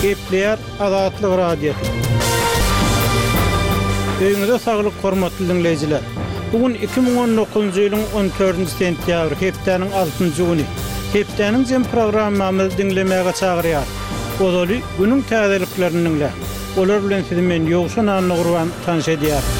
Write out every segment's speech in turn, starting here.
Gepleýär Azatlyk Radiosy. Öýüňize saglyk hormatly diňleýjiler. Bu gün 2019-njy ýylyň 14-nji sentýabry, hepdäniň altynjy güni. Hepdäniň jem programmamyzy diňlemäge çagyrýarys. Ozaly günüň täzeliklerini diňläň. Olar bilen sizi men Ýowşan Annagurban tanyş edýärin.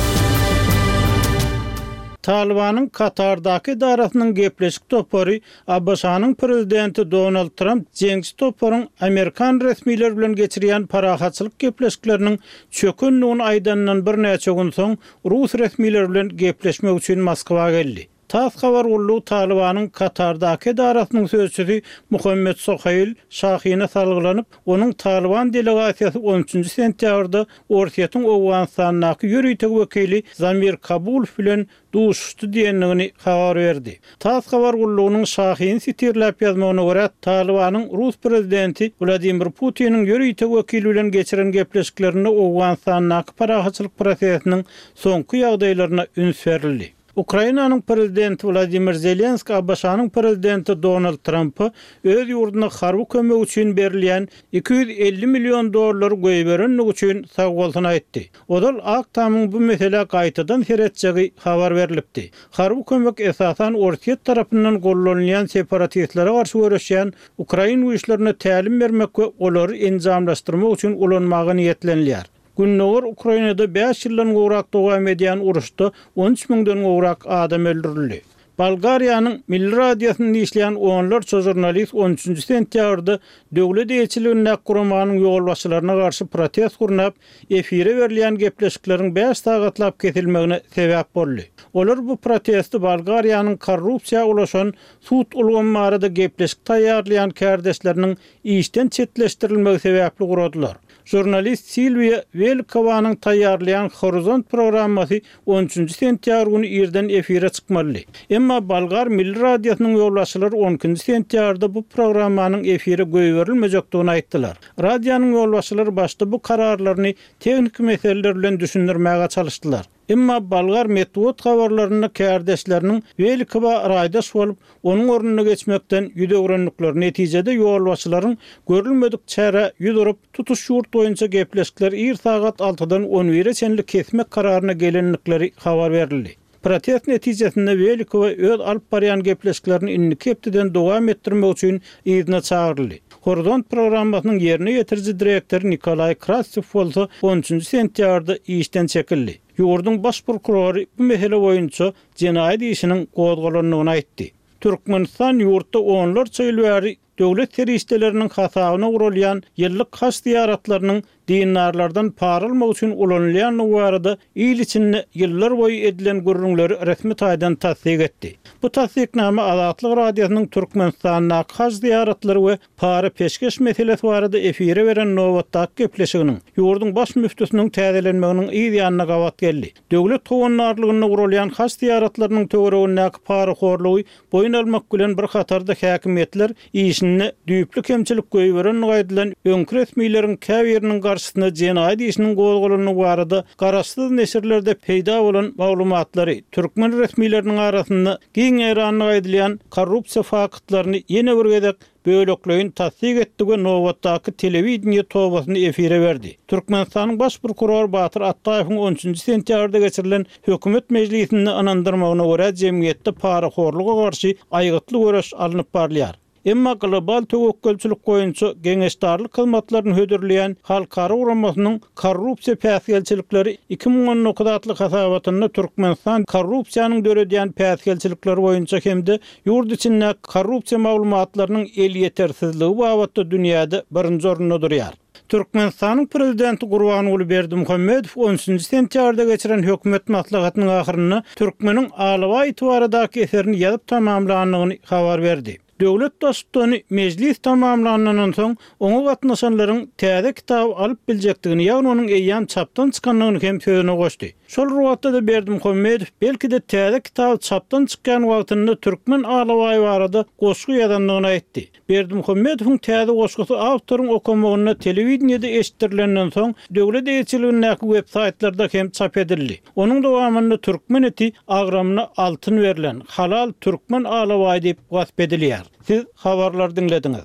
Talybanyň Katardaky edarasynyň gepleşik topary ABŞ-nyň prezidenti Donald Tramp jeňçi toparyň amerikan resmileri bilen geçirýän parahatçylyk gepleşikleriniň çökendigini aýdanyndan birnäçe gün soň rus resmileri bilen gepleşmek üçin Moskwa geldi. Tass habar gullugy Talybanyň Katardaky edarasynyň sözçüsi Muhammed Sohail Şahine salgylanyp, onuň Talyban delegasiýasy on üçünji sentýabrda Orsýetiň Owganystandaky ýörite wekili Zamir Kabulow bilen duşuşdy diýendigini habar berdi. Tass habar gullugynyň Şahini sitirläp ýazmagyna görä, Talybanyň rus prezidenti Wladimir Putiniň ýörite wekili bilen geçiren gepleşiklerinde Owganystandaky parahatçylyk prosesiniň soňky ýagdaýlaryna üns berildi. Ukrainanyň prezidenti Wladimir Zelenski ABŞ-nyň prezidenti Donald Trampa öz ýurduna harby kömek üçin berilýän 250 million dollary goýberendigi üçin sagbolsun aýtdy. Ozal Ak Tamyň bu meselä gaýtadan seretjegi habar berlipdi. Harby kömek esasan Orsýet tarapyndan gollanylýan separatistlere garşy göreşýän ukrain güýçlerine tälim bermek we olary enjamlaşdyrmak üçin ulanmaga niýetlenilýär. Gündogar Ukrainada bäş ýyldan gowrak dowam edýän uruşda 13 müňden gowrak adam öldürildi. Bolgariýanyň Milli radiosynda işleýän onlarça žurnalist on üçünji sentýabrda döwlet eýeçiligindäki guramanyň ýolbaşçylaryna garşy protest gurnap, efire berilýän gepleşikleriň bäş sagatlap kesilmegine sebäp boldy. Olar bu protesti Bolgariýanyň korrupsiýa ulaşan sud ulgamy barada gepleşik taýýarlaýan kärdeşleriniň işden çetleşdirilmegi sebäpli guradylar. Žurnalist Silwiýa Welikowanyň taýýarlaýan Horizont programmasy on üçünji sentýabr güni irden efire çykmalydy. Emma Bolgar milli radiosynyň ýolbaşçylary on ikinji sentýabrda bu programmanyň efire goýberilmejekdigini aýtdylar. Radionyň ýolbaşçylary başda bu kararlaryny tehniki meseleler bilen düşündirmäge çalyşdylar. Emma bolgar metbugat habarlarynda kärdeşleriniň Welikowa raýdaş bolup, onuň ornuna geçmekden ýüz öwrendikleri netijede ýolbaşçylaryň görülmedik çärä ýüz urup, tutuş ýurt boýunça gepleşikleri ir sagat altydan on bire çenli kesmek kararyna gelendikleri habar berildi. Protest netijesinde Welikowa öz alyp barýan gepleşiklerini indiki hepdeden dowam etdirmek üçin yzyna çagyryldy. Horizont programmasynyň ýerine ýetiriji direktory Nikolaý Krastew bolsa on üçünji sentýabrda işden çekildi. Ýurduň baş prokurory bu mesele boýunça jenaýat işiniň gozgalandygyny aýtdy. Türkmenistan ýurtda onlarça ýyl bäri döwlet serişdeleriniň hasabyna guralýan ýyllyk haj zyýaratlarynyň dindarlardan para almak üçin ulanylýandygy barada il içinde ýyllar boýy edilen gürrüňleri resmi taýdan tassyk etdi. Bu tassyknama Azatlyk Radiosynyň Türkmenistandaky haj zyýaratlary we para-peşgeş meselesi barada efire beren nobatdaky gepleşiginiň, ýurduň baş müftüsiniň täzelenmeginiň yz ýanyna gabat geldi. Döwlet howandarlygynda guralýan haj zyýaratlarynyň töweregindäki parahorlugy boýun almak bilen bir hatarda häkimiýetler işinde düýpli kemçilik goýberendigi aýdylan öňki resmileriň käbiriniň garşysyna jenaýat işiniň gozgalandygy barada garaşsyz neşirlerde peýda bolan maglumatlary türkmen resmileriniň arasynda giň ýaýrandygy aýdylýan korrupsiýa faktlaryny ýene bir gezek bölekleýin tassyk etdi we nobatdaky telewideniýe tobasyny efire berdi. Türkmenistanyň Baş prokurory Batyr Atdaýewiň on üçünji sentýabrda geçirilen hökümet mejlisinde ynandyrmagyna görä, jemgyýetde parahorluga garşy aýgytly göreş alnyp barylýar. Emma global töwekgelçilik boýunça geňeşdarlyk hyzmatlaryny hödürleýän halkara guramasynyň Korrupsiýa päsgelçilikleri 2019 atly hasabatynda Türkmenistan korrupsiýanyň döredýän päsgelçilikleri boýunça hem-de ýurt içindäki korrupsiýa maglumatlarynyň elýetersizligi babatda dünýäde birinji orunda durýar. Türkmenistanyň Prezidenti Gurbanguly Berdimuhamedow on üçünji sentýabrda geçiren hökümet maslahatynyň ahyrynda türkmeniň alabaý iti baradaky eserini ýazyp tamamlandygyny habar berdi. Döwlet Baştutany mejlis tamamlanandan soň, oňa gatnaşanlaryň täze kitaby alyp biljekdigini, ýagny onuň eýýäm çapdan çykandygyny hem sözüne goşdy. Şol bir wagtda-da Berdimuhamedow belki-de täze kitaby çapdan çykýan wagtynda türkmen alabaýy barada goşgy ýazandygyny aýtdy. Berdimuhamedowyň täze goşgusy awtoryň okamagynda telewideniýede eşitdirilenden soň, döwlet eýeçiligindäki web-saýtlarda hem çap edildi. Onuň dowamynda türkmen iti agramyna altyn berlen, halal türkmen alabaýy diýip wasp edilýär. Siz habarlary diňlediňiz.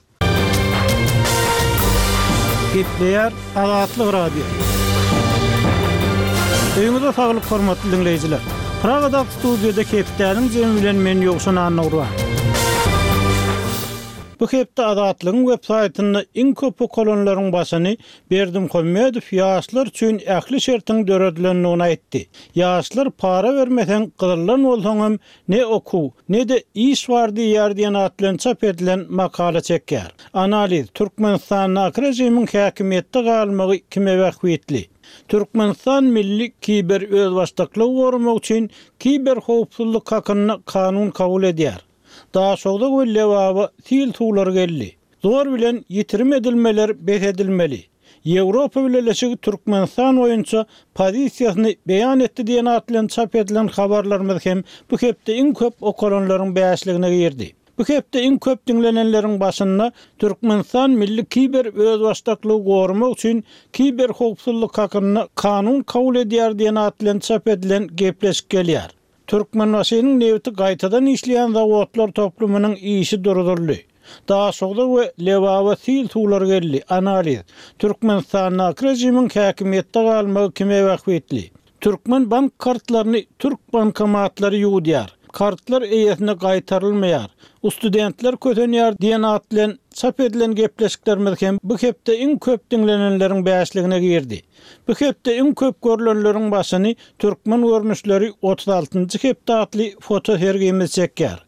Gepleýär Azatlyk Radiosy. Öýüňize saglyk hormatly diňleýjiler. Pragadaky studiýada hepdäniň jemi bilen men Ýowşan Annagurban. Bu hepde Azatlygyň web saýtynda iň köp okalanlaryň başyny Berdimuhamedow ýaşlar üçin ähli şertiň döredilendigini aýtdy. Ýaşlar para bermeseň gyzyldan bolsaňam ne okuw, ne-de iş bar diýýär diýen at bilen çap edilen makala çekýär. Analiz, Türkmenistandaky režimiň häkimiýetde galmagy kime bähbitli? Türkmenistan milli kiber özbaşdaklygy goramak üçin kiber howpsuzlyk hakynda kanun kabul edýär. Daşogza we Lebaba sil suwlary geldi. Zor bilen ýitirim edilmeler bes edilmeli. Ýewropa Bileleşigi Türkmenistan boýunça pozisiýasyny beýan etdi diýen at bilen çap edilen habarlarymyz hem bu hepde iň köp okalanlaryň bäşligine girdi. Bu hepde iň köp diňlenenleriň başynda Türkmenistan milli kiber özbaşdaklygy goramak üçin kiber howpsuzlyk hakynda kanun kabul edýär diýen at bilen çap edilen gepleşik gelýär. Türkmenbaşynyň nebiti gaýtadan işleýän zawodlar toplumynyň işi duruzyldy. Daşogza we Lebaba sil suwlary geldi, analiz. Türkmenistandaky režimiň häkimiýetde galmagy kime bähbitli? Türkmen bank kartlaryny türk bankomatlary ýuwudýar. Kartlar eýesine gaýtarylmaýar. Ustudentler kösenýär diýen at bilen çap edilen gepleşiklerimiz hem bu hepde iň köp diňlenenleriň bäşligine girdi. Bu hepde iň köp görlenleriň başyny Türkmen görnüşleri 36-njy hepde atly foto sergimiz çekýär.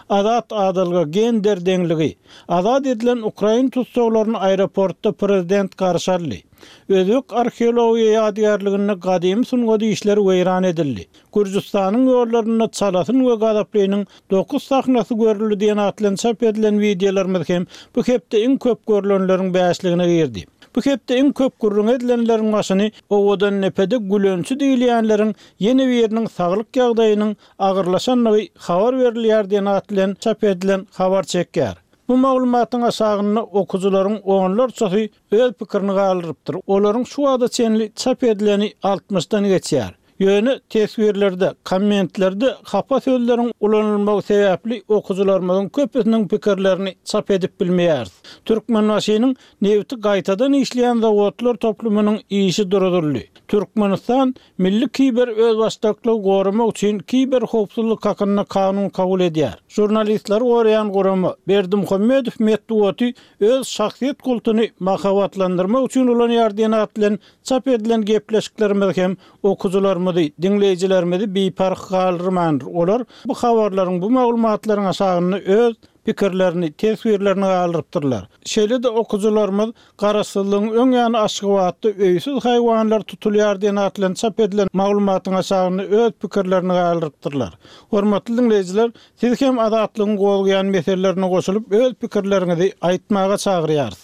Azat adalga, gender deňligi. Azat edilen ukrain tussaglaryny aeroportda prezident garşy aldy. Özbek arheologiýa ýadygärliginde gadymy sungat işleri weýran edildi. Gürjüstanyň ýollarynda Çalasyn we Gazaplynyň Dokuz sahnasy görüldi diýen at bilen çap edilen wideolarymyz hem bu hepde iň köp görlenleriň bäşligine girdi. Bu hepde iň köp gürrüňi edilenleriň başyny Owadandepede gülençi diýilýänleriň ýene biriniň saglyk ýagdaýynyň agyrlaşandygy habar berilýär diýen at bilen çap edilen habar çekýär. Bu maglumatyň aşagynda okyjylaryň onlarçasy öz pikirini galdyrypdyr. Olaryň şu wagta çenli çap edileni altmyşdan geçýär. Ýöne teswirlerde, kommentlerde hapa sözleriň ulanylmagy sebäpli okyjylarymyzyň köpüsiniň pikirlerini çap edip bilmeýäris. Türkmenbaşynyň nebiti gaýtadan işleýän zawodlar toplumynyň işi duruzyldy. Türkmenistan milli kiber özbaşdaklygy goramak üçin kiber howpsuzlyk hakynda kanun kabul edýär. Žurnalistleri goraýan gurama, Berdimuhamedow metbugaty öz şahsyýet kultuny mahabatlandyrmak üçin ulanýar diýen at bilen Çap edilen gepleşiklerimiz hem okyjylarymyzy, diňleýjilerimizi biparh galdyrmandyr. Olar bu habarlaryň, bu maglumatlaryň aşagynda öz pikirlerini, teswirlerini galdyrypdyrlar. Şeýle-de okyjylarymyz Garaşsyzlygyň öň ýany Aşgabatda öýsüz haýwanlar tutulýar diýen at bilen çap edilen maglumatyň aşagynda öz pikirlerini galdyrypdyrlar. Hormatly diňleýjiler, Siz hem Azatlygyň gozgaýan meselelerine goşulyp öz pikirleriňizi aýtmaga çagyrýarys.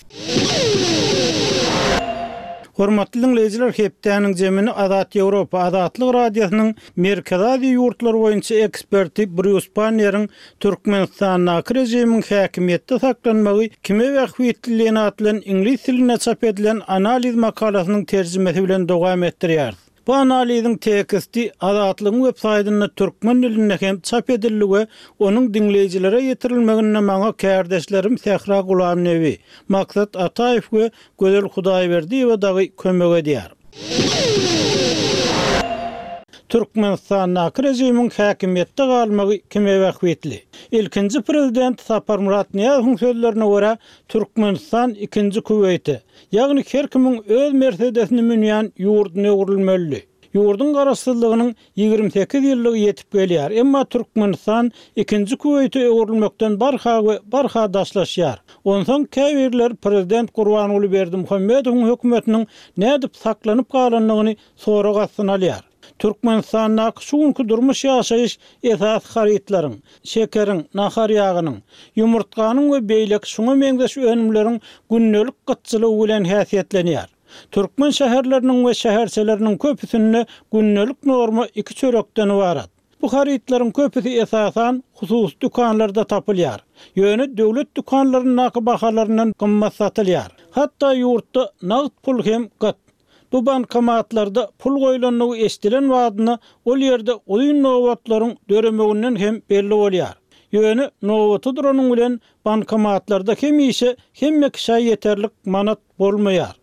Hormatly diňleýjiler hepdäniň jemini Azat Ýewropa, Azatlyk Radiosynyň Merkezi Aziýa ýurtlary boýunça eksperti Brýus Panneriň Türkmenistandaky režimiň häkimiýetde saklanmagy kime bähbitli diýen at bilen iňlis dilinde çap edilen analiz makalasynyň terjimesi bilen dowam etdirýäris. Bu analiziň teksti Azatlygyň web saýtynda türkmen dilinde hem çap edildi we onuň diňleýjilere ýetirilmeginde maňa kärdeşlerim Sähra Gulamnebi, Maksat Ataýew we Gözel Hudaýberdiýewa dagy kömek edýär. Türkmenistandaky režimiň häkimiýetde galmagy kime bähbitli? Ilkinji prezident Saparmyrat Nyýazowyň sözlerine görä, Türkmenistan ikinji Kuweýte, Ýagny her kimiň öz Mersedesini münýän ýurduna öwrülmelidi. Ýurduň garaşsyzlygynyň 28 ýyllygy ýetip gelýär, emma Türkmenistan ikinji Kuweýte öwrülmekden barha we barha daşlaşýar. Onsoň käbirler prezident Gurbanguly Berdimuhamedowyň hökümetiniň nädip saklanyp galandygyny sorag astyna alýar. Türkmenistandaky şu günki durmuş-ýaşaýyş esasy harytlaryň, şekeriň, nahar ýagynyň, ýumurtganyň we beýleki şuňa meňzeş önümleriň gündelik gytçylygy bilen häsiýetlenýär. Türkmen şäherleriniň we şäherçeleriniň köpüsinde gündelik norma iki çörekden ybarat. Bu harytlaryň köpüsi esasan hususy dükanlarda tapylýar. Ýöne döwlet dükanlaryndaky bahalaryndan gymmat satylýar. Hatda ýurtda nagt pul hem gyt. Bu bankomatlarda pul goýlandygy eşidilen badyna ol ýerde uzyn nobatlaryň döremeginden hem belli bolýar. Ýöne nobata duranyň bilen bankomatlarda hemişe hemme kişä ýeterlik manat bolmaýar.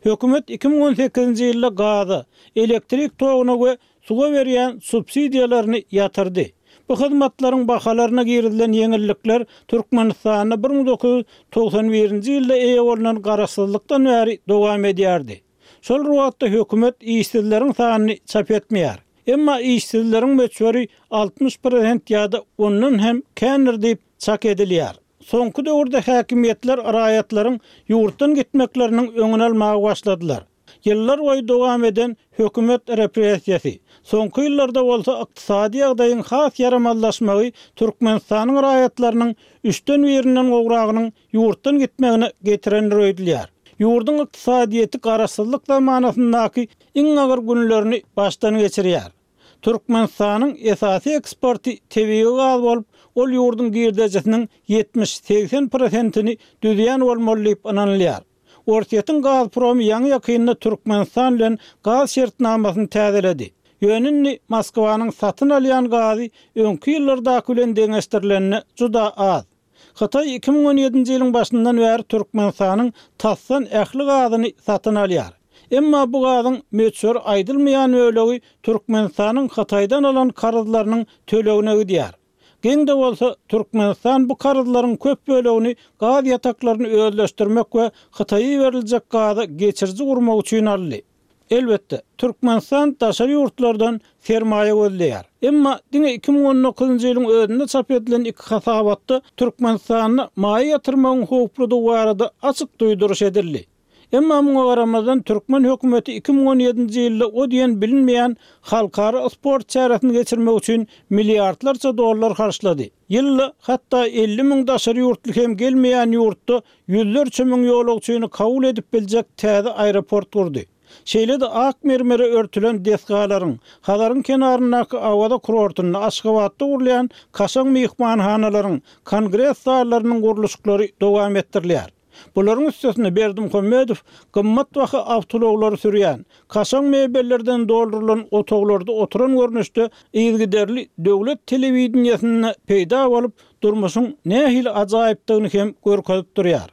Hökümet 2018-nji ýylda gaza, elektrik toguna we suwa berýän subsidiýalaryny ýatyrdy. Bu hyzmatlaryň bahalaryna girizilen ýeňillikler Türkmenistanda 1991-nji ýylda eýe bolnan garaşsyzlykdan bäri dowam edýärdi. Şol bir wagtda hökümet işsizleriň sanyny çap etmeýär. Emma işsizleriň möçberi 60 prosent ýa-da ondan hem kändir diýip çak edilýär. Soňky döwürde häkimiýetler raýatlaryň ýurtdan gitmekleriniň öňüni almaga başladylar. Ýyllar boýy dowam eden hökümet repressiýasy, soňky ýyllarda bolsa ykdysady ýagdaýyň has ýaramazlaşmagy Türkmenistanyň raýatlarynyň üçden birinden gowragynyň ýurtdan gitmegine getirendir öýdülýär. Ýurduň ykdysadyýeti garaşsyzlyk zamanasyndaky iň agyr günlerini başdan geçirýär. Türkmenistanyň esasy eksporty tebigy gaz bolup, ol ýurduň girdejisiniň 70-80 prosentini düzýän bolmaly diýip ynanylýar. Orsýetiň Gazpromy ýaňy-ýakynda Türkmenistan bilen gaz şertnamasyny täzeledi. Ýöne indi Moskwanyň satyn alýan gazy öňki ýyllardaky bilen deňeşdirilende juda az. Hytaý 2017-nji ýylyň başyndan bäri Türkmenistanyň tasdan ähli gazyny satyn alýar. Emma bu gazyň möçberi aýdylmaýan bölegi Türkmenistanyň Hytaýdan alan karzlarynyň tölegine gidýär. Geň-de bolsa, Türkmenistan bu karzlaryň köp bölegini gaz ýataklaryny özleşdirmek we Hytaýa iberiljek gaza geçiriji gurmak üçin aldy. Elbetde, Türkmenistan daşary ýurtlardan sermaýa gözleýär. Emma diňe 2019-njy ýylyň özünde çap edilen iki hasabatda Türkmenistanda maýa ýatyrmagyň howpludygy barada açyk duýduryş edildi. Emma muňa garamazdan türkmen hökümeti 2017-nji ýylda o diýen bilinmeýän halkara sport çäresini geçirmek üçin milliardlarça dollar harçlady. Ýylda hatda 50 müň daşary ýurtly hem gelmeýän ýurtda ýüzlerçe müň ýolagçyny kabul edip biljek täze aeroport gurdy. Şeýle-de ak mermere örtülen desgalaryň, Hazaryň kenaryndaky Awaza kurortynda, Aşgabatda gurulýan kaşaň myhmanhanalaryň, kongres zallarynyň gurluşyklary dowam etdirilýär. Bularyň üstesine Berdimuhamedow gymmatbaha awtoulaglary sürýän, kaşaň mebellerden doldurylan otaglarda oturan görnüşde yzygiderli döwlet telewideniýesinde peýda bolup, durmuşyň nähili ajaýypdygyny hem görkezip durýar.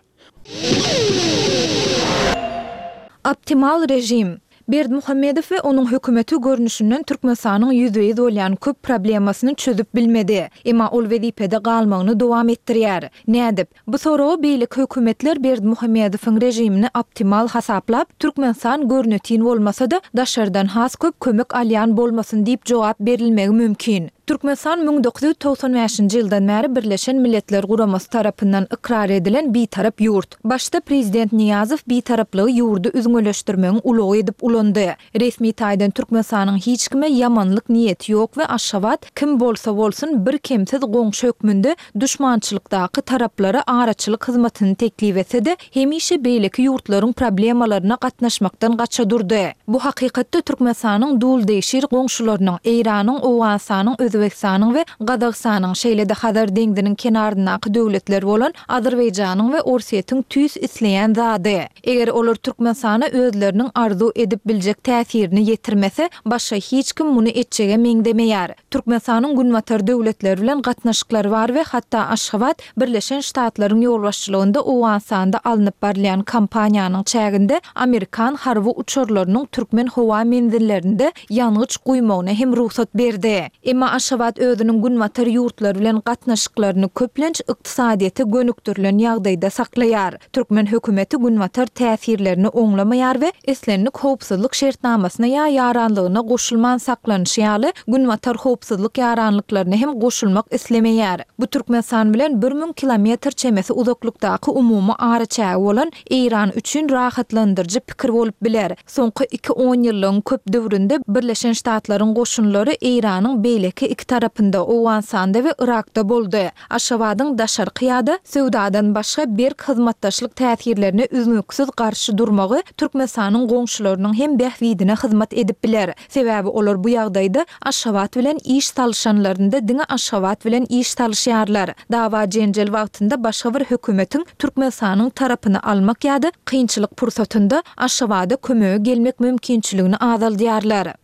Optimal režim. Berdimuhamedow we onuň hökümeti görnüşinden Türkmenistanyň ýüzbe-ýüz bolýan köp problemasyny çözüp bilmedi. Emma ol wezipede galmagyny dowam etdirýär. Nädip? Bu soraga beýleki hökümetler Berdimuhamedowyň režimini optimal hasaplap, Türkmenistan görnetin bolmasa-da, daşardan has köp kömek alýan bolmasyn diýip jogap berilmegi mümkin. Türkmenistan 1995-nji ýyldan bäri Birleşen Milletler Guramasy tarapyndan ykrar edilen bitarap ýurt. Başda prezident Nyýazow bitaraplygy ýurdy üzňeleşdirmegiň ulagy edip ulandy. Resmi taýdan Türkmenistanyň hiç kime ýamanlyk niýeti ýok we Aşgabat, kim bolsa bolsun, birkemsiz goňşy hökmünde duşmançylykdaky taraplara araçylyk hyzmatyny teklip etse-de, hemişe beýleki ýurtlaryň problemalaryna gatnaşmakdan gaça durdy. Bu hakykatda Türkmenistanyň duldegşir goňşularynyň, Eýranyň, Owganystanyň, Özbegistanyň we Gazagystanyň, şeýle-de Hazar deňziniň kenaryndaky döwletler bolan Azerbaýjanyň we Orsýetiň tüýs isleýän zady. Eger olar Türkmenistana özleriniň arzuw edip biljek täsirini ýetirmese, başga hiç kim muny etjege meňzemeýär. Türkmenistanyň Günbatar döwletleri bilen gatnaşyklary bar we hatda Aşgabat Birleşen Ştatlaryň ýolbaşçylygynda Owganystanda alnyp barylýan kampaniýanyň çäginde amerikan harby uçarlarynyň türkmen howa menzillerinde ýangyç guýmagyna hem rugsat berdi. Emma Aşgabat özüniň Günbatar ýurtlary bilen gatnaşyklaryny köplenç ykdysadyýete gönükdirilen ýagdaýda saklaýar. Türkmen hökümeti Günbatar täsirlerini oňlamaýar we islendik howpsuzlyk şertnamasyna ýa ýaranlygyna goşulman saklanyşy ýaly, Günbatar howpsuzlyk ýaranlyklaryna hem goşulmak islemeýär. Bu Türkmenistan bilen 1000 kilometr çemesi uzaklykdaky umumy araçägi bolan Eýran üçin rahatlandyryjy pikir bolup biler. Soňky iki onýyllygyň köp döwründe Birleşen Ştatlaryň goşunlary Eýranyň beýleki. iki tarapynda, Owganystanda we Yrakda boldy. Aşgabadyň daşarky ýa-da söwdadan başga berk hyzmatdaşlyk täsirlerine üznüksiz garşy durmagy Türkmenistanyň goňşularynyň hem bähbidine hyzmat edip biler. Sebäbi olar bu ýagdaýda Aşgabat bilen iş salyşanlarynda diňe Aşgabat bilen iş salyşýarlar. Dawa-jenjel wagtynda başga bir hökümetiň Türkmenistanyň tarapyny almak ýa-da kynçylyk pursatynda Aşgabada kömege gelmek mümkinçiligini azaldýarlar.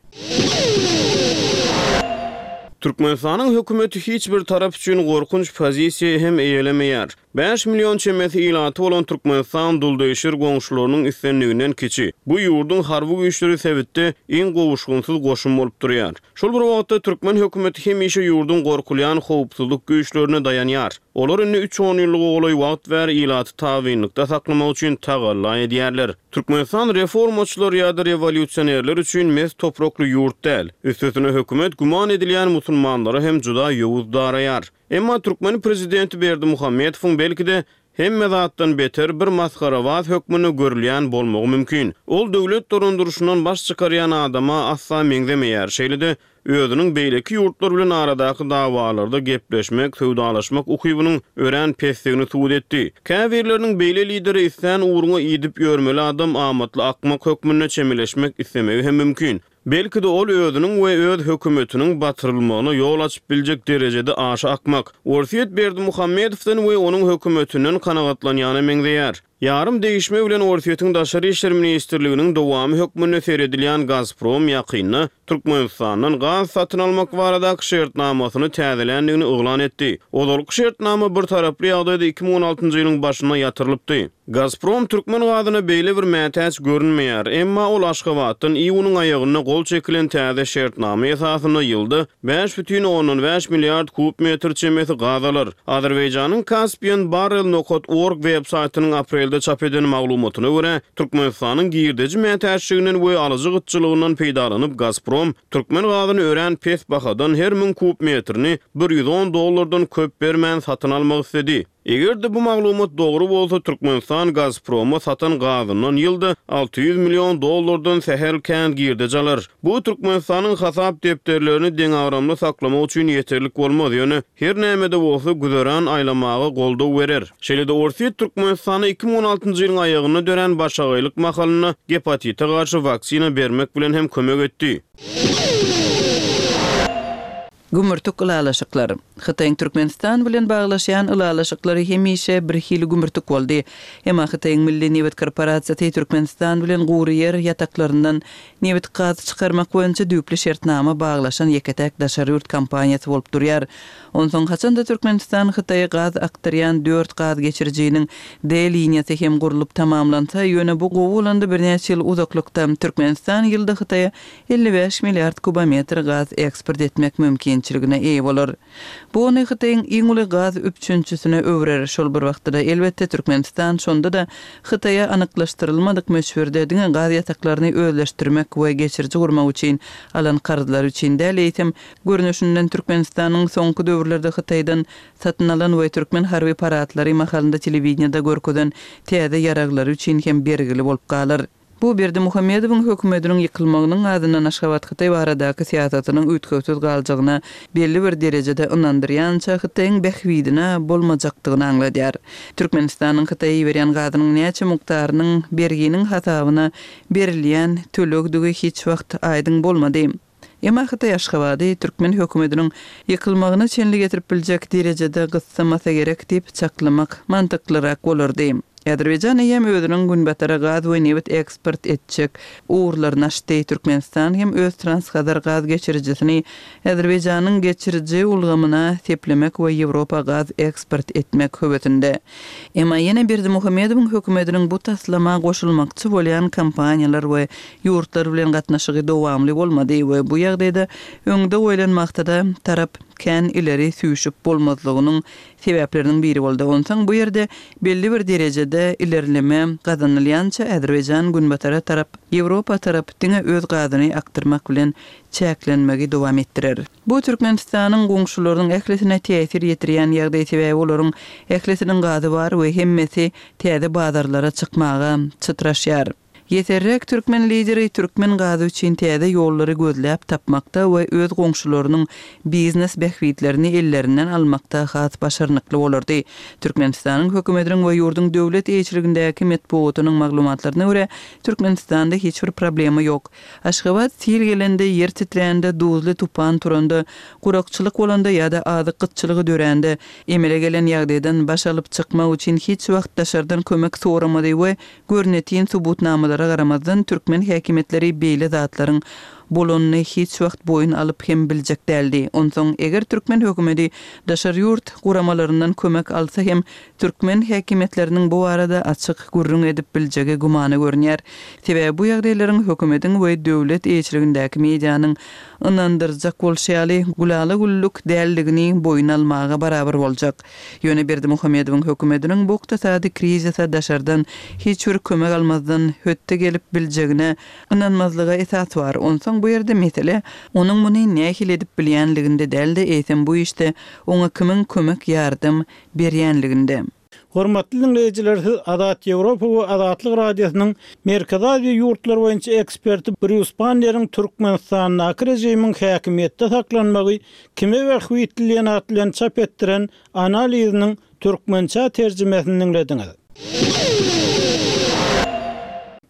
Türkmenistanyň hökümeti hiç bir tarap üçin gorkunç pozisiýa hem eýelemeýär. Bäş million çemesi ilaty bolan Türkmenistan duldegşir goňşularynyň islendiginden kiçi. Bu ýurduň harby güýçleri sebitde iň gowuşgynsyz goşun bolup durýar. Şol bir wagtda, türkmen hökümeti hemişe ýurduň gorkulýan howpsuzlyk güýçlerine daýanýar. Olar indi üç onýyllyga golaý wagt bäri ilaty tabynlykda saklamak üçin tagalla edýärler. Türkmenistan reformaçylar ýa-da rewolýusionerler üçin mes toprakly ýurt däl. Üstesine hökümet güman edilýän musulmanlara hem juda ýowuz daraýar. Emma türkmen prezidenti Berdimuhamedowyň belki-de, hemme zatdan beter bir masgarabaz hökmünde görülýän bolmagy mümkin. Ol döwlet dolandyryşyndan baş çykarýan adama asla meňzemeýär, şeýle-de özüniň beýleki ýurtlar bilen aradaky dawalarda gepleşmek, söwdalaşmak ukybynyň örän pesdigini subut etdi. Käbirleriniň beýle lidere islän ugruňa idip ýörmeli adam amatly akmak hökmünde çemeleşmek islemegi hem mümkin. Belki-de ol özüniň we öz hökümetiniň batyrylmagyna ýol açyp biljek derejede aşa akmak. Orsýet Berdimuhamedowdan we onuň hökümetinden kanagatlanýana meňzeýär. Ýarym degişme bilen Orsýetiň Daşary işler ministrliginiň dowamy hökmünde seredilýän Gazprom ýakynda Türkmenistandan gaz satyn almak baradaky şertnamasyny täzeländigini yglan etdi. Ozalky şertnama bir taraply ýagdaýda 2016-njy ýylyň başynda ýatyrylypdy. Gazprom türkmen gazyna beýle bir mätäç görünmeýär, emma ol Aşgabatdan iýunyň aýagynda gol çekilen täze şertnama esasynda ýylda 5,5 milliard kub metr çemesi gaz alar. Azerbaýjanyň Caspian Barrel nokat org web saýtynyň aprelde çap eden maglumatyna görä, Türkmenistanyň girdeji mätäçliginden we alyjy gytçylygyndan peýdalanyp Gazprom türkmen gazyny örän pes bahadan her müň kub metrini 110 dollardan köp bermän satyn almak isledi. Eger-de bu maglumat dogry bolsa, Türkmenistan Gazproma satan gazyndan ýylda 600 million dollardan sähel kän girdeji alar. Bu Türkmenistanyň hasap depderlerini deňagramly saklamak üçin ýeterlik bolmaz, ýöne her näme-de bolsa güzeran aýlamaga goldaw berer. Şeýle-de Orsýet Türkmenistana 2016-njy ýylyň aýagynda dörän başagaýlyk mahalynda gepatite garşy waksina bermek bilen hem kömek etdi. Gümürtik ylalaşyklar. Hytaýyň Türkmenistan bilen baglaşýan ylalaşyklary hemişe birhili gümürtik boldy. Emma Hytaýyň Milli nebit korporasiýasy Türkmenistan bilen gury ýer ýataklaryndan nebit-gaz çykarmak boýunça düýpli şertnama baglaşan ýeke-täk daşary ýurt kompaniýasy bolup durýar. Onsoň haçan-da Türkmenistan Hytaýa gaz akdyrýan dört gaz geçirijiniň D liniýasy hem gurlup tamamlansa, ýöne bu gowy bolanda birnäçe ýyl uzaklykda, Türkmenistan ýylda Hytaýa 55 milliard kubometr gaz eksport etmek mümkinçiligine eýe bolar. Bu ony Hytaýyň iň uly gaz üpjünçisine öwrer, şol bir wagtda-da, elbetde, Türkmenistan şonda-da Hytaýa anyklaşdyrylmadyk möçberde diňe gaz ýataklaryny özleşdirmek we geçiriji gurmak üçin alan karzlary üçin däl, eýsem, görnüşinden Türkmenistanyň soňky döwürlerde Hytaýdan satyn alan we türkmen harby paradlary mahalynda telewideniýede görkezen täze ýaraglary üçin hem bergili bolup galar. Bu Berdimuhamedowyň hökümetiniň ýykylmagynyň azyndan Aşgabat-Hytaý baradaky syýasatynyň üýtgewsiz galjagyna belli bir derejede ynandyrýança Hytaýyň bähbidine bolmajakdygyny aňladýar. Türkmenistanyň Hytaýa iberýän gazynyň näçe mukdarynyň berginiň hasabyna berilýän tölegdigi hiç wagt aýdyň bolmady. Emma Hytaý Aşgabady türkmen hökümetiniň ýykylmagyna çenli getirip biljek derejede gyssamasa gerek diýip çaklamak mantyklyrak bolardy. Azerbaýjan eýýäm özüniň Günbatara gaz we nebit eksport etjek ugurlaryny açdy. Türkmenistan hem öz Transhazar gaz geçirijisini Azerbaýjanyň geçiriji ulgamyna seplemek we Ýewropa gaz eksport etmek höwesinde. Emma ýene Berdimuhamedowyň hökümetiniň bu taslama goşulmakçy bolýan kompaniýalar we ýurtlar bilen gatnaşygy dowamly bolmady we bu ýagdaýda öňde goýlan maksada tarap kän ileri süýşüp bolmazlygynyň sebäpleriniň biri boldy. Onsoň bu ýerde belli bir derejede ilerleme gazanylýança Azerbaýjan günbatara tarap, Ýewropa tarap diňe öz gazyny akdyrmak bilen çäklenmegi dowam etdirer. Bu Türkmenistanyň goňşularynyň ählisine täsir ýetirýän ýagdaý sebäbi olaryň ählisiniň gazy bar we hemmesi täze bazarlara çykmaga çytraşýar. Ýeserräk türkmen lideri türkmen gazy üçin täze ýollary gözläp tapmakda we öz goňşularynyň biznes bähbitlerini ellerinden almakda has başarnykly bolardy. Türkmenistanyň hökümetiniň we ýurduň döwlet eýeçiligindäki metbugatynyň maglumatlaryna görä, Türkmenistanda hiç bir problema ýok. Aşgabat sil gelende, ýer titrände, duzly tupan turanda, gurakçylyk bolanda ýa-da azyk gytçylygy dörände, emele gelen ýagdaýdan baş alyp çykmak üçin hiç wagt daşardan kömek soramady we görnetin subutnamalara garamazdan türkmen häkimiýetleri beýle zatlaryň bolanyny hiç wagt boýun alyp hem biljek däldi. Onsoň eger türkmen hökümeti daşary ýurt guramalaryndan kömek alsa hem türkmen häkimiýetleriniň bu barada açyk gürrüň edip biljegi gümana görünýär. Sebäbi bu ýagdaýlaryň hökümetiň we döwlet eýeçiligindäki medianyň ynandyrjak bolşy ýaly gülala-güllük däldigini boýun almaga barabar boljak. Ýöne Berdimuhamedowyň hökümetiniň bu ykdysady krizise daşardan hiç bir kömek almazdan hötde gelip biljegine ynanmazlyga esas bar. Onsoň bu ýerde mesele onuň muny nähili edip bilýänliginde däl-de, eýsem bu işde oňa kimiň kömek-ýardam berýänliginde. Hormatly diňleýjiler siz Azat Ýewropa we Azatlyk Radiosynyň Merkezi Aziýa ýurtlary boýunça eksperti Brýus Banneriň Türkmenistandaky režimiň häkimiýetde saklanmagy Kime bähbitli diýen at bilen çap etdiren analiziniň türkmençä terjimesini diňlediňiz.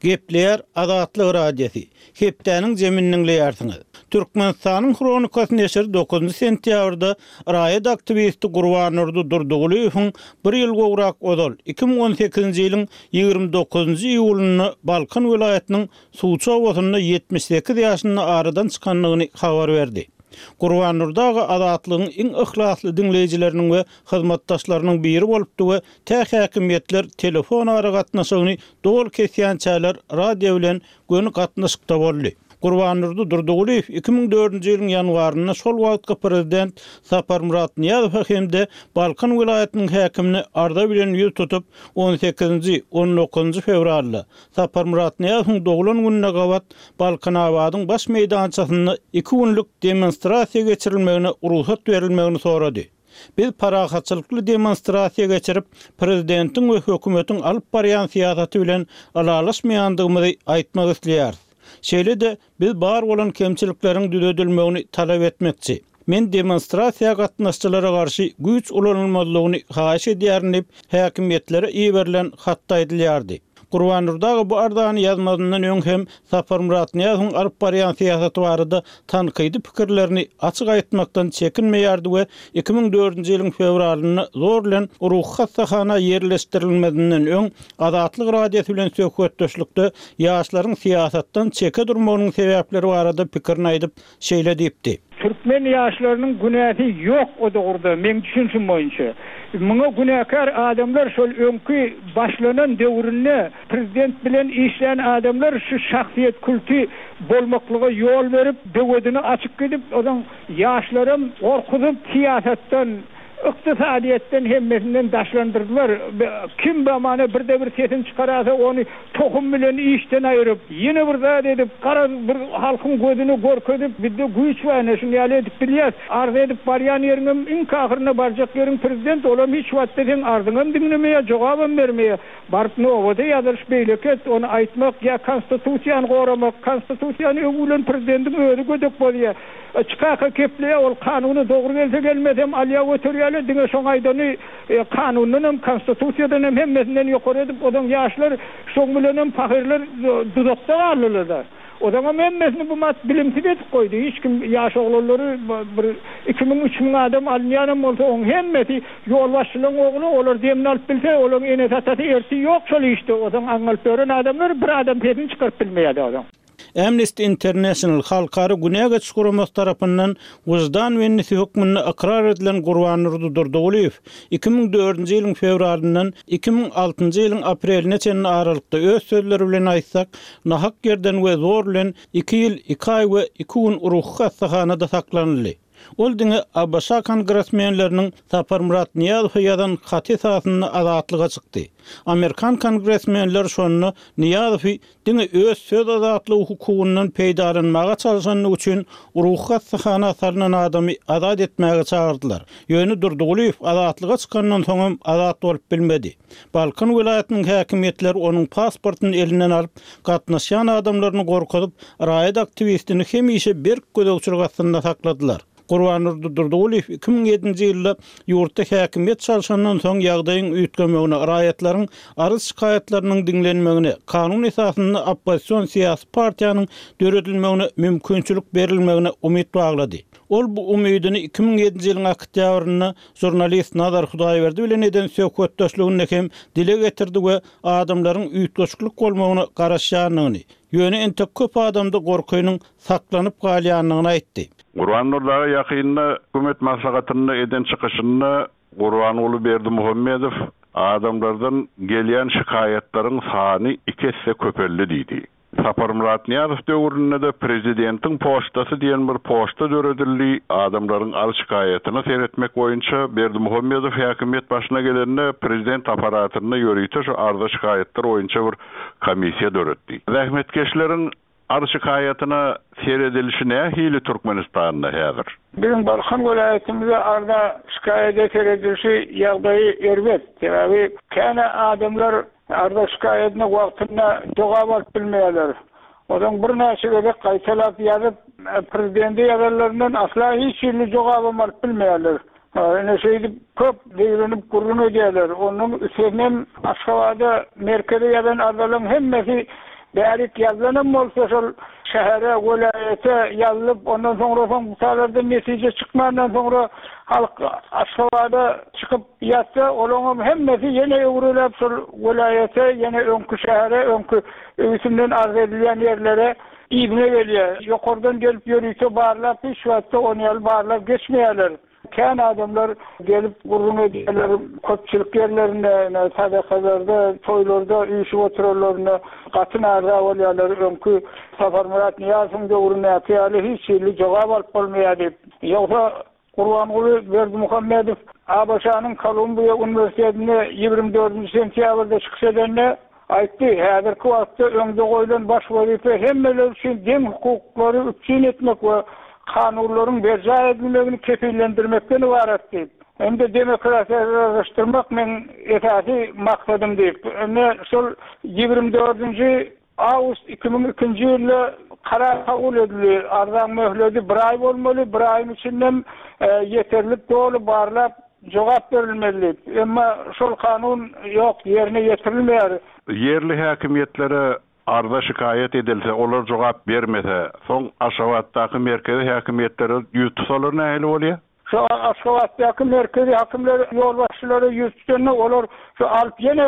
Gepleýär Azatlyk Radiosy. Hepdäniň jemini diňleýärsiňiz. Türkmenistanyň Hronikasy neşiri dokuzynjy sentýabrda raýat aktiwisti Gurbandurdy Durdygulyýewiň bir ýyl gowrak ozal, 2018-nji ýylyň 29-njy iýulynda Balkan welaýatynyň Suwçy obasynda 78 ýaşynda aradan çykandygyny habar berdi. Gurbandurdy aga Azatlygyň iň yhlasly diňleýjileriniň we hyzmatdaşlarynyň biri bolupdy we tä häkimiýetler telefon aragatnaşygyny doly kesýänçäler radio bilen göni gatnaşykda boldy. Gurbandurdy Durdygulyýew 2004-nji ýylyň ýanwarynda şol wagtky prezident Saparmyrat Nyýazowa hem-de Balkan welaýatynyň häkimine arza bilen ýüz tutup, on sekizinji, on dokuzynjy fewralda, Saparmyrat Nyýazowyň doglan gününe gabat Balkanabadyň baş meýdançasynda iki günlük demonstrasiýa geçirilmegine rugsat berilmegini sorady. Biz parahatçylykly demonstrasiýa geçirip, prezidentiň we hökümetiň alyp barýan syýasaty bilen ylalaşmaýandygymyzy aýtmak isleýäris. Şeýle-de, biz bar bolan kemçilikleriň düzedilmegini talap etmekçi. Men demonstrasiýa gatnaşyjylara garşy güýç ulanylmazlygyny haýyş edýärin diýip, häkimiýetlere iberilen hatda aýdylýardy. Gurbandurdy aga bu arzany ýazmazyndan öň hem Saparmyrat Nyýazowyň alyp barýan syýasaty barada tankydy pikirlerini açyk aýtmakdan çekinmeýärdi we 2004-nji ýylyň fewralynda zor bilen ruhy hassahana ýerleşdirilmezinden öň Azatlyk Radiosy bilen söhbetdeşlikde ýaşlaryň syýasatdan çeke durmagynyň sebäpleri barada pikirini aýdyp, şeýle diýipdi. Türkmen ýaşlarynyň günäsi ýok o dogruda meň düşünşim boýunça. Muňa günäkär adamlar şol öňki başlanan döwründe prezident bilen işlän adamlar şu şahsyýet kulty bolmaklyga ýol berip böwedini açyp gidip ozaň ýaşlaram gorkuzyp syýasatdan Ykdysadyýetden hemmesinden daşlandyrdylar. Kim bamana birde bir sesini çykarasa ony tohum bilen işden aýyryp, ýene bir zat edip, garaz bir halkyň gözüne görkezip bizde güýç bar ine şuny ýaly edip bilýäs. Arz edip barýan ýeriňem iňki ahyrynda barjak ýeriň prezident olam hiç wagtda seň arzyňam diňlemeýär jogabam bermeýär. Baryp nobata ýazylyş beýleki et ony aýtmak ýa konstitusiýany goramak konstitusiýany öňi bilen prezidendiň özi gödek bozýar. Çykaka kepleýär, ol kanuna dogry gelse gelmesem alýa göterýärler, diňe şoň aýdany kanundanam, konstitusiýadanam hemmesinden ýokary edip, ozaň ýaşlar şoň bilenem pahyrlar duzakda galdylar-da. Ozaňam hemmesini bu mat bilimsiz edip goýdy, hiç kim ýaş oglanlary bir 2000, 3000 adam alynýanam bolsa oň hemmesi ýolbaşçylaň ogly, olar demini alyp bilse, olaň enesi-atasy ertir ýok şol işde, ozaň aňňalyp ýören adamlar bir adam sesini çykaryp bilmeýär-de ozaň. Amnesty International halkara günä geçiş guramasy tarapyndan wyždan bendisi hökmünde ykrar edilen Gurbandurdy Durdygulyýew 2004-nji ýylyň fewralyndan 2006-njy ýylyň apreline çenli aralykda öz sözleri bilen aýtsak, nahak ýerden we zor bilen iki ýyl iki aý we iki gün ruhy hassahanada saklanyldy. Ol diňe ABŞ kongresmenleriniň Saparmyrat Nyýazowa ýazan haty esasynda azatlyga çykdy. Amerikan kongresmenleri şonda Nyýazowy diňe öz söz azatlygy hukugyndan peýdalanmaga çalşandygy üçin ruhy hassahana salnan adamy azat etmäge çagyrdylar. Ýöne Durdygulyýew azatlyga çykandan soňam azat bolup bilmedi. Balkan welaýatynyň häkimiýetleri onuň pasportyny elinden alyp, gatnaşýan adamlaryny gorkuzyp, raýat aktiwistini hemişe berk gözegçilik astynda sakladylar. Gurbandurdy Durdygulyýew 2007-nji ýylda ýurtda häkimiýet çalşandan soň ýagdaýyň üýtgemegine, raýatlaryň arz-şikaýatlarynyň diňlenmegine, kanun esasynda oppozision syýasy partiýanyň döredilmegine mümkinçilik berilmegine umyt baglady. Ol bu umydyny 2007-nji ýylyň oktýabrynda žurnalist Nazar Hudaýberdi bilen eden söhbetdeşliginde hem dile getirdi we adamlaryň üýtgeşiklik bolmagyna garaşýandygyny, ýöne entek köp adamda gorkynyň saklanyp galýandygyny aýtdy. Gurban Nurdaga ýakynda hökümet maslahatynda eden çykyşynda Gurbanguly Berdimuhamedow adamlardan gelýän şikaýatlaryň sany iki esse köpeldi diýdi. Saparmyrat Nyýazow döwründe-de Prezidentiň poçtasy diýen bir poçta döredildi, adamlaryň arz-şikaýatyna seretmek boýunça Berdimuhamedow häkimiýet başyna gelende prezident apparatynda ýörite şu arza-şikaýatlar boýunça bir komissiýa döretdi. Zähmetkeşleriň arz-şikaýatyna seredilişi nähili Türkmenistanda häzir? Biziň Balkan welaýatymyzda arza-şikaýada seredilişi ýagdaýy erbet. Sebäbi kän adamlar Arza-şikaýadyna wagtynda jogap alyp bilmeýärler. Ozaň birnäçe gezek gaýtalap ýazyp, prezidente ýazanlaryndan asla hiç hili jogabam alyp bilmeýärler. Ine şeýdip köp zeýrenip gürrüň edýärler. Onuň üstesinem Aşgabada, merkeze ýazan arzalaryň hemmesi bärik ýazylanam bolsa şol şähere, welaýata ýazylyp, ondan soňra soň bu taýlardan netije çykmandan soňra halk Aşgabada çykyp, Ýatsa, olaňam hemmesi ýene öwrüläp şol welaýata, ýene öňki şähere, öňki üstünden arz edilýän ýerlere yzyna gelýär. Ýokardan gelip ýörite barlap hiç wagtda ony ýaly barlag geçmeýärler. Kän adamlar gelip gürrüň edýärler, köpçülik ýerlerinde, ine, sadakalarda, toýlarda üýşüp oturanlarynda gaty närza bolýarlar, öňki Saparmyrat Nyýazowyň döwründäki ýaly hiç hili jogap alyp bolmaýar diýip. Ýogsa Gurbanguly Berdimuhamedow ABŞ-nyň Kolumbiýa uniwersitetinde 24-nji sentýabrda çykyş edende aýtdy, Häzirki wagtda öňde goýlan baş wezipe hemmeler üçin deň hukuklary üpjün etmek we kanunlaryň berjaý edilmegini kepillendirmekden ybarat diýip, hem-de demokratiýalaşdyrmak meň esasy maksadym diýip, ine şol 24-nji Awgust 2002-nji ýylda karar kabul edildi. Arzaň möhledi bir aý bolmaly, bir aýyň içindem ýeterlik doly barlap jogap berilmeli diýip. Emma şol kanun ýok, ýerine ýetirilmeýär. Ýerli häkimiýetlere arza-şikaýat edilse, olar jogap bermese, soň Aşgabatdaky merkezi häkimiýetlere ýüz tutsalar nähili bolýar? Şu Aşgabatdaky merkezi hakimler ýolbaşçylara ýüz tutanda olar şu alyp ýene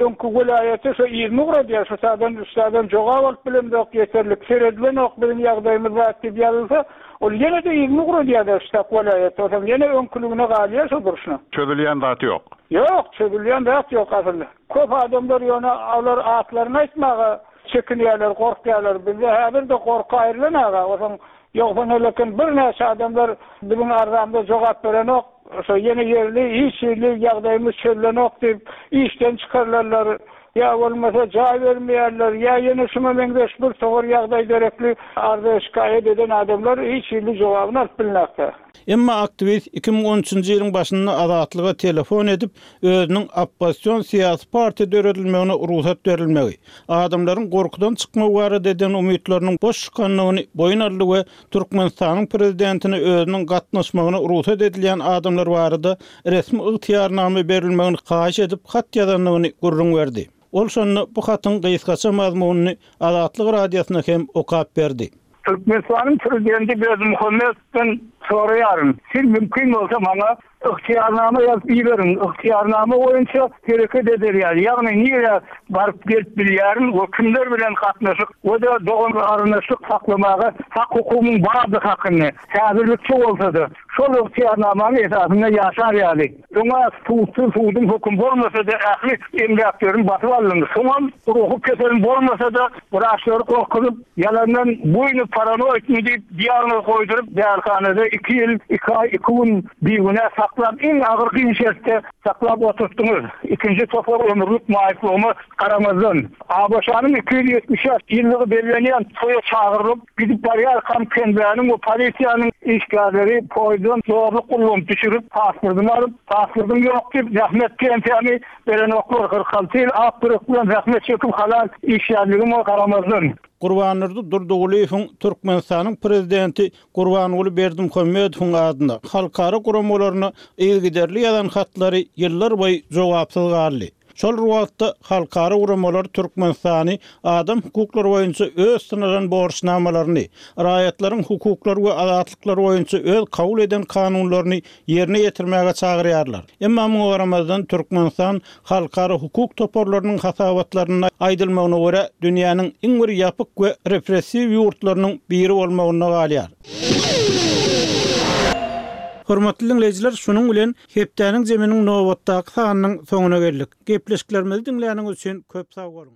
öňki welaýata şu yzyny ugradýar şu taýdan şu taýdan jogap alyp bilemzok ýeterlik seredilenok biziň ýagdaýymyz zat diýip ýazylsa ol ýene-de yzyny ugradýarlar şu tak welaýata onsoň ýene öňküligine galýar şo durşuna. Çözülýän zat ýok. Ýok çözülýän zat ýok asyl. Köp adamlar ýöne olar atlaryny aýtmaga çekinýärler gorkýarlar bizde häzir-de gorky aýrylan aga onsoň Ýogsa nelekin birnäçe adamlar biziň arzamyza jogap berenok, şo ýene ýerli hiç hili ýagdaýymyz çözülenok diýip işden çykarylanlar, ýa bolmasa jaý bermeýärler, ýa ýene şuňa meňzeş bir togar ýagdaý derekli arza-şikaýat eden adamlar hiç hili jogabyny alyp bilnakda. Emma aktiwist 2013-nji ýylyň başynda Azatlyga telefon edip, özüniň oppozision syýasy partiýa döredilmegine rugsat berilmegi, adamlaryň gorkudan çykmagy barada eden umytlarynyň boş çykandygyny boýun aldy we Türkmenistanyň prezidentine özüniň gatnaşmagyna rugsat edilýän adamlar barada resmi ygtyýarnama berilmegini haýyş edip hat ýazandygyny gürrüň berdi. Ol şonda bu hatyň gysgaça mazmunyny Azatlyk Radiosyna hem okap berdi. Türkmenistanyň Prezidenti Berdimuhamedowdan soraýaryn, siz mümkin bolsa maňa ygtyýarnama ýazyp iberiň, ygtyýarnama boýunça hereket eder ýaly, ýagny nirä baryp gelip bilýärin we kimler bilen gatnaşyk we-de dogan-garyndaşlyk saklamaga hak-hukugymyň bardygy hakynda, häzirlikçe bolsa-da, şol ygtyýarnamanyň esasynda ýaşar ýaly. Öň-ä sudsuz suduň hökümi bolmasa-da ähli emläklerimi basyp aldyň. Soňam ruhy keselim bolmasa-da wraçlary gorkuzyp, ýalandan buýny paranoidmi diýip diagnoz goýduryp därihanada. iki ýyl, iki aý, iki gün bigünä saklap, iň agyr kyn şertde saklap oturtdyňyz. Ikinji topar ömürlik maýyplygyma garamazdan, ABŞ-nyň 275 ýyllygy bellenýän toýa çagyrylyp, gidip barýarkam KNB-niň we polisiýanyň işgärleri poýuzdan zorluk ullanyp düşürip, pasportymy alyp, pasportym ýok diýip, zähmet pensiýamy berenoklar. 46 ýyl ak ýürek bilen zähmet çekip halal işlänligime garamazdan. Gurbandurdy Durdygulyýewiň Türkmenistanyň Prezidenti Gurbanguly Berdimuhamedowyň adyna halkara guramalaryna yzygiderli ýazan hatlary ýyllarboýy jogapsyz galdy. Şol bir wagtda, halkara guramalar Türkmenistany adam hukuklary boýunça öz synalan borçnamalaryny, raýatlaryň hukuklary we azatlyklary boýunça öz kabul eden kanunlaryny ýerine ýetirmäge çagyrýarlar. Emma muňa garamazdan, Türkmenistan halkara hukuk toparlarynyň hasabatlarynda aýdylmagyna görä, dünýäniň iň bir ýapyk we repressiw ýurtlarynyň biri bolmagynda galýar. Hormatly diňleýjiler, şunuň bilen Hepdäniň zeminiň nobatdaky sanynyň soňuna geldik. Gepleşiklerimizi diňläniňiz üçin köp sag boluň!